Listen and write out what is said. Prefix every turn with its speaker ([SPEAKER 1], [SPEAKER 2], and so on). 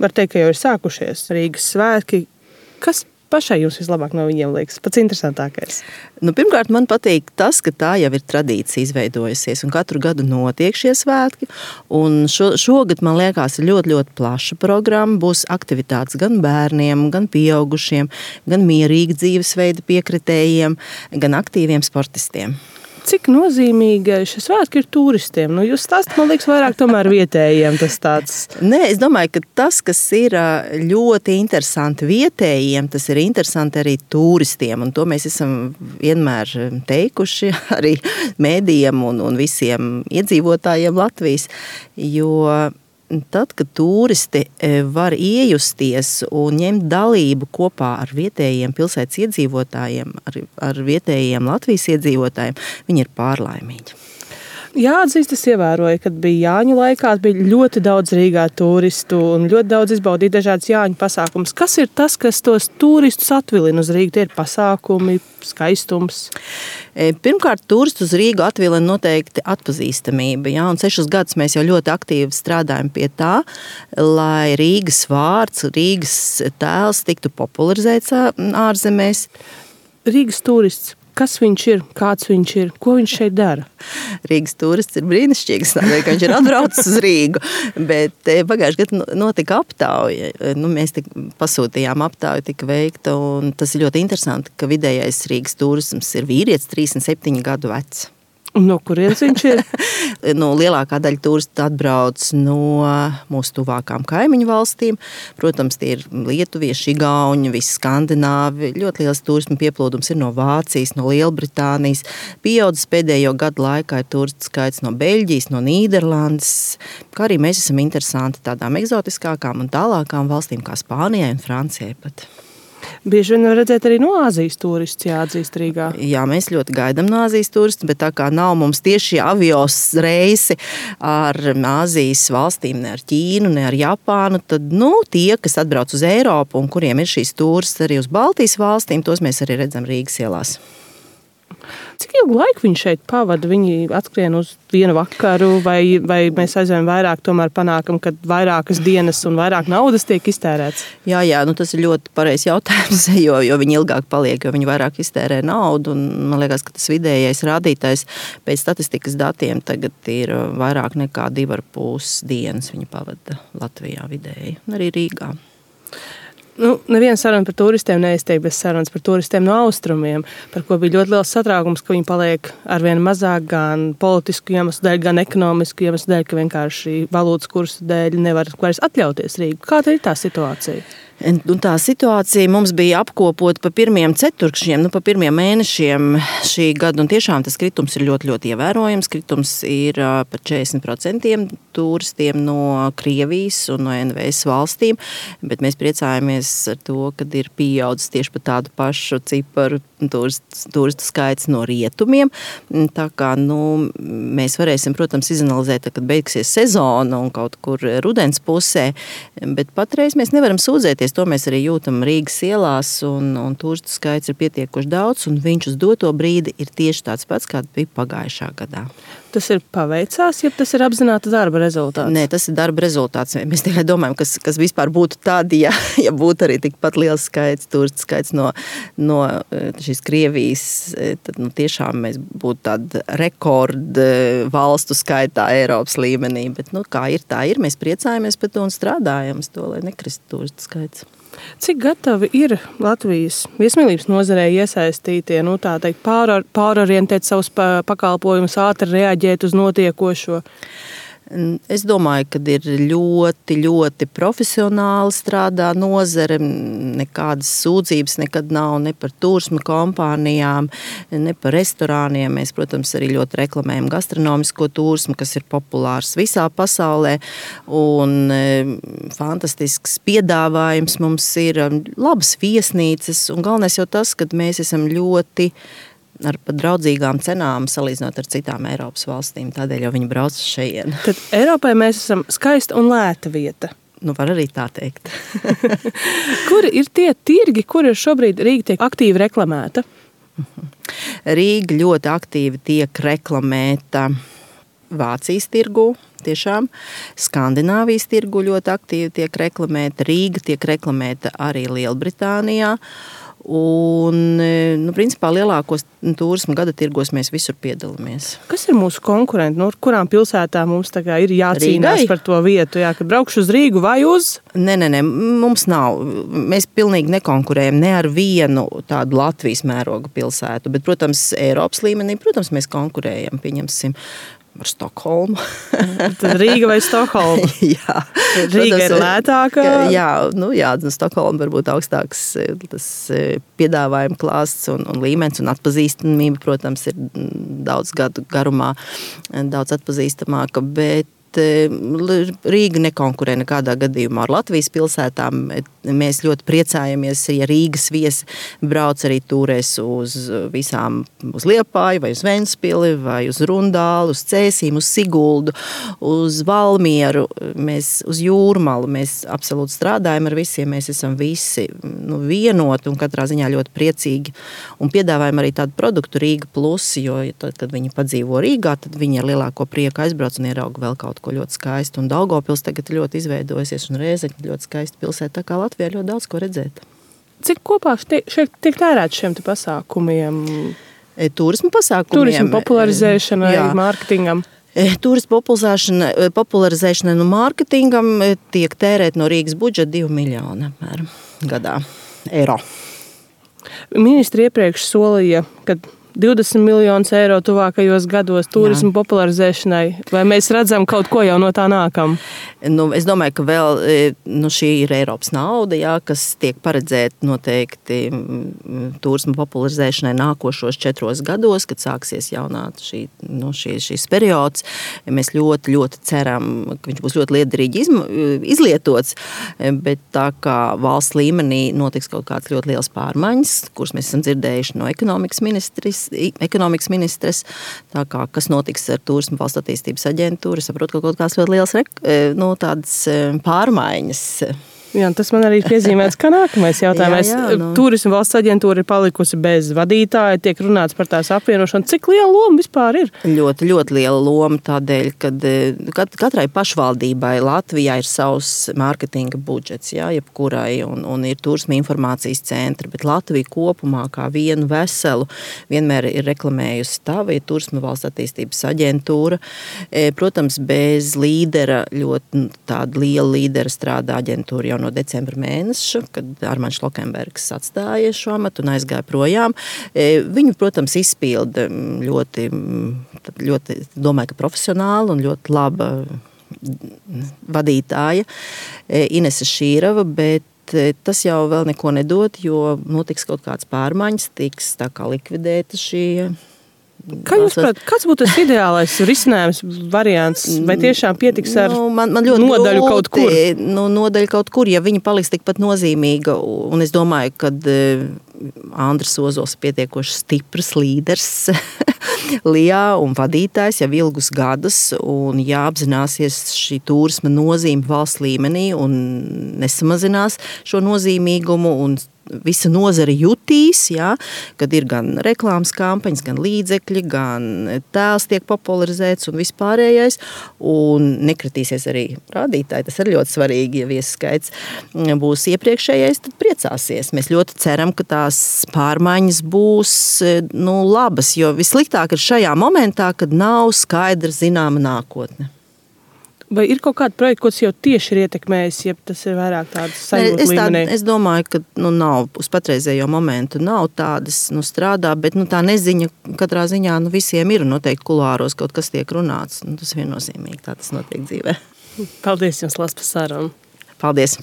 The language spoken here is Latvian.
[SPEAKER 1] var teikt, ka jau ir sākušies Rīgas svētki. Kas pašai jums vislabāk no viņiem liekas? Pats interesantākais.
[SPEAKER 2] Pirmkārt, man patīk tas, ka tā jau ir tradīcija izveidojusies un katru gadu notiek šie svētki. Un šogad, man liekas, ir ļoti, ļoti plaša programma. Būs aktivitātes gan bērniem, gan pieaugušiem, gan mierīgi dzīvesveida piekritējiem, gan aktīviem sportistiem.
[SPEAKER 1] Cik nozīmīga šis svētki ir turistiem? Jūs stāstat, man liekas, vairāk tomēr vietējiem tas tāds.
[SPEAKER 2] Nē, es domāju, ka tas, kas ir ļoti interesanti vietējiem, tas ir interesanti arī turistiem. Un to mēs esam vienmēr teikuši arī mēdījiem un visiem iedzīvotājiem Latvijas. Jo tad, kad turisti var iejusties un ņemt dalību kopā ar vietējiem pilsētas iedzīvotājiem, ar vietējiem Latvijas iedzīvotājiem, viņi ir pārlaimīgi.
[SPEAKER 1] Jāatzīst, es ievēroju, kad bija Jāņu laikā, bija ļoti daudz Rīgā turistu un ļoti daudz izbaudīja dažādas Jāņu pasākumus. Kas ir tas, kas tos turistus atvilina uz Rīgu? Tie ir pasākumi, skaistums?
[SPEAKER 2] Pirmkārt, turistu uz Rīgu atvilina noteikti atpazīstamība. Ja? Un 6 gadus mēs jau ļoti aktīvi strādājam pie tā, lai Rīgas vārds, Rīgas tēls tiktu popularizēts ārzemēs.
[SPEAKER 1] Rīgas turists. Kas viņš ir, kāds viņš ir, ko viņš šeit dara?
[SPEAKER 2] Rīgas turists ir brīnišķīgs, tādēļ, ka viņš ir atbraucis uz Rīgu, bet pagājušajā gadā notika aptauja. Mēs pasūtījām aptauju, tika veikta, un tas ir ļoti interesanti, ka vidējais Rīgas turisms ir vīrietis 37 gadu vecs.
[SPEAKER 1] Un no kurienes viņš ir?
[SPEAKER 2] Lielākā daļa turistu atbrauc no mūsu tuvākām kaimiņu valstīm. Protams, tie ir lietuvieši, igauņi, visi skandināvi. Ļoti liels turismu pieplūdums ir no Vācijas, no Lielbritānijas. Pieaudzis pēdējo gadu laikā ir turistu skaits no Beļģijas, no Nīderlandes. Kā arī mēs esam interesanti tādām eksotiskākām un tālākām valstīm kā Spānijai un Francijai pat.
[SPEAKER 1] Bieži vien var redzēt arī no Āzijas turistus jāatzīst Rīgā.
[SPEAKER 2] Jā, mēs ļoti gaidām no Āzijas turistus, bet tā kā nav mums tieši avios reisi ar Āzijas valstīm, ne ar Ķīnu, ne ar Japānu, tad tie, kas atbrauc uz Eiropu un kuriem ir šīs turistus arī uz Baltijas valstīm, tos mēs arī redzam Rīgas ielās.
[SPEAKER 1] Cik ilgu laiku viņi šeit pavada? Viņi atskrien uz vienu vakaru vai mēs aizvien vairāk tomēr panākam, kad vairākas dienas un vairāk naudas tiek iztērēts?
[SPEAKER 2] Jā, tas ir ļoti pareizs jautājums, jo viņi ilgāk paliek, jo viņi vairāk iztērē naudu. Un man liekas, ka tas vidējais rādītājs pēc statistikas datiem tagad ir vairāk nekā 2,5 dienas viņi pavada Latvijā vidēji, arī Rīgā.
[SPEAKER 1] Neviena saruna par turistiem neiztiek bez sarunas par turistiem no austrumiem, par ko bija ļoti liels satraukums, ka viņi paliek arvien mazāk gan politisku iemeslu dēļ, gan ekonomisku iemeslu dēļ, ka vienkārši valūtas kursa dēļ nevar vairs atļauties Rīgu. Kāda ir tā situācija?
[SPEAKER 2] Un tā situācija mums bija apkopota pa pirmiem ceturkšņiem, pa pirmiem mēnešiem šī gada, un tiešām tas kritums ir ļoti, ļoti ievērojams. Kritums ir par 40% turistiem no Krievijas un no NVS valstīm, bet mēs priecājamies ar to, kad ir pieaudzis tieši pa tādu pašu ciparu turistu skaits no rietumiem. Tā kā, mēs varēsim, protams, izanalizēt, kad beigsies sezona un kaut kur rudens pusē, bet patreiz mēs nevaram sūdzēties. To mēs arī jūtam Rīgas ielās, un turistu skaits ir pietiekoši daudz, un viņš uz doto brīdi ir tieši tāds pats, kāds bija pagājušā gadā.
[SPEAKER 1] Tas ir paveicās, ja tas ir apzināta darba rezultāts?
[SPEAKER 2] Nē, tas ir darba rezultāts. Mēs tikai domājam, kas vispār būtu tādi, ja būtu arī tikpat liels skaits, turistu skaits no šīs Krievijas, tad tiešām mēs būtu tāda rekorda valstu skaitā Eiropas līmenī. Bet tā ir. Mēs priecājamies par to un strādājam uz to, lai nekristu turistu skaits.
[SPEAKER 1] Cik gatavi ir Latvijas viesmīlības nozarē iesaistītie, pārorientēt savus pakalpojumus, ātri reaģēt uz notiekošo?
[SPEAKER 2] Es domāju, ka ir ļoti, ļoti profesionāli strādā nozare. Nekādas sūdzības nekad nav ne par turisma kompānijām, ne par restorāniem. Mēs, protams, arī ļoti reklamējam gastronomisko turismu, kas ir populārs visā pasaulē. Un fantastisks piedāvājums mums ir, labas viesnīcas. Un galvenais jau tas, ka mēs esam ļoti ar pat draudzīgām cenām salīdzinot ar citām Eiropas valstīm. Tādēļ jau viņi brauc uz šejienu.
[SPEAKER 1] Tad Eiropai mēs esam skaista un lēta vieta.
[SPEAKER 2] Var arī tā teikt.
[SPEAKER 1] Kuri ir tie tirgi, kur šobrīd Rīga tiek aktīvi reklamēta?
[SPEAKER 2] Rīga ļoti aktīvi tiek reklamēta Vācijas tirgu, tiešām Skandināvijas tirgu ļoti aktīvi tiek reklamēta, Rīga tiek reklamēta arī Lielbritānijā. Un, principā lielākos turisma gada tirgos mēs visur piedalāmies.
[SPEAKER 1] Kas ir mūsu konkurenti? No kurām pilsētām mums ir jācīnās par to vietu? Jā, kad braukšu uz Rīgu vai uz?
[SPEAKER 2] Nē, mums nav. Mēs pilnīgi nekonkurējam ne ar vienu tādu Latvijas mēroga pilsētu, bet, protams, Eiropas līmenī, protams, mēs konkurējam, pieņemsim, ar Stokholmu.
[SPEAKER 1] Tad Rīga vai Stokholma?
[SPEAKER 2] Jā.
[SPEAKER 1] Rīga ir lētāka?
[SPEAKER 2] Jā, Stokholma varbūt augstāks tas piedāvājuma klāsts un līmenis un atpazīstamība, protams, ir daudz gadu garumā daudz atpazīstamāka, bet Rīga nekonkurē nekādā gadījumā ar Latvijas pilsētām. Mēs ļoti priecājamies, ja Rīgas viesi brauc arī turēs uz Liepāju, vai uz Ventspili, vai uz Rundālu, uz Cēsīm, uz Siguldu, uz Valmieru, uz Jūrmalu. Mēs absolūti strādājam ar visiem, mēs esam visi vienoti un katrā ziņā ļoti priecīgi. Un piedāvājam arī tādu produktu Rīga Plus, jo tad, kad viņi padzīvo Rīgā, tad viņi ar lielāko prieku aizbrauc un ierauga vēl kaut ko ļoti skaistu. Un Daugavpils tagad ļoti izveidojusies un Rēzekne ļoti skaista pilsēta, tā kā Latvijā ļoti daudz ko redzēt.
[SPEAKER 1] Cik kopā šeit tiek tērēts šiem pasākumiem?
[SPEAKER 2] Turisma pasākumiem.
[SPEAKER 1] Turisma popularizēšanai, mārketingam.
[SPEAKER 2] Turisma popularizēšanai un mārketingam tiek tērēt no Rīgas budžeta 2 miljoni apmēram gadā eiro.
[SPEAKER 1] Ministri iepriekš solīja, ka 20 miljonus eiro tuvākajos gados turismu popularizēšanai, vai mēs redzam kaut ko jau no tā nākam?
[SPEAKER 2] Es domāju, ka vēl šī ir Eiropas nauda, kas tiek paredzēta noteikti turismu popularizēšanai nākošos 4 gados, kad sāksies jaunā šīs periods. Mēs ļoti, ļoti ceram, ka viņš būs ļoti liederīgi izlietots, bet tā kā valsts līmenī notiks kaut kāds ļoti liels pārmaiņas, kuras mēs esam dzirdējuši no ekonomikas ministres, tā kā kas notiks ar Turisma valsts attīstības aģentūru, saprotu, ka kaut kāds ļoti liels tādas pārmaiņas.
[SPEAKER 1] Jā, tas man arī piezīmēts, ka nākamais jautājums. Turisma valsts aģentūra ir palikusi bez vadītāja, tiek runāts par tās apvienošanu. Cik liela loma vispār ir?
[SPEAKER 2] Ļoti, ļoti liela loma tādēļ, kad katrai pašvaldībai Latvijā ir savs mārketinga budžets, jebkurai, un ir turisma informācijas centri, bet Latvija kopumā kā vienu veselu vienmēr ir reklamējusi tā, ir Turisma valsts attīstības aģentūra. Protams, bez līdera, ļoti tāda liela līdera strādā aģentūra jau no decembra mēneša, kad Armāns Šlokenbergs atstāja šo amatu un aizgāja projām. Viņu, protams, izpilda ļoti, domāju, ka profesionāli un ļoti laba vadītāja Inese Šīrava, bet tas jau vēl neko nedod, jo notiks kaut kāds pārmaiņas, tiks tā kā likvidēta šī.
[SPEAKER 1] Kā jūs prāt, kāds būtu tas ideālais risinājums, variants, vai tiešām pietiks ar nodaļu kaut kur?
[SPEAKER 2] Nodaļu kaut kur, ja viņa paliks tikpat nozīmīga, un es domāju, kad Andris Ozols pietiekoši stiprs līderis Lijā un vadītājs jau ilgus gadus, un jāapzināsies šī turisma nozīme valsts līmenī un nesamazinās šo nozīmīgumu, un visa nozare jutīs, kad ir gan reklāmas kampaņas, gan līdzekļi, gan tēls tiek popularizēts un vispārējais, un nekritīsies arī rādītāji. Tas ir ļoti svarīgi, ja viesaskaits būs iepriekšējais, tad priecāsies. Mēs ļoti ceram, ka tās pārmaiņas būs labas, jo vissliktāk ir šajā momentā, kad nav skaidra zināma nākotne.
[SPEAKER 1] Vai ir kaut kāda projekta, ko tas jau tieši ir ietekmējis, ja tas ir vairāk tādas sajūta līmenī?
[SPEAKER 2] Es domāju, ka nav, uz patreizējo momentu nav tādas strādā, bet tā neziņa katrā ziņā visiem ir, noteikti kulāros kaut kas tiek runāts. Tas viennozīmīgi, tā tas notiek dzīvē.
[SPEAKER 1] Paldies jums, Lās, par sarunu.
[SPEAKER 2] Paldies.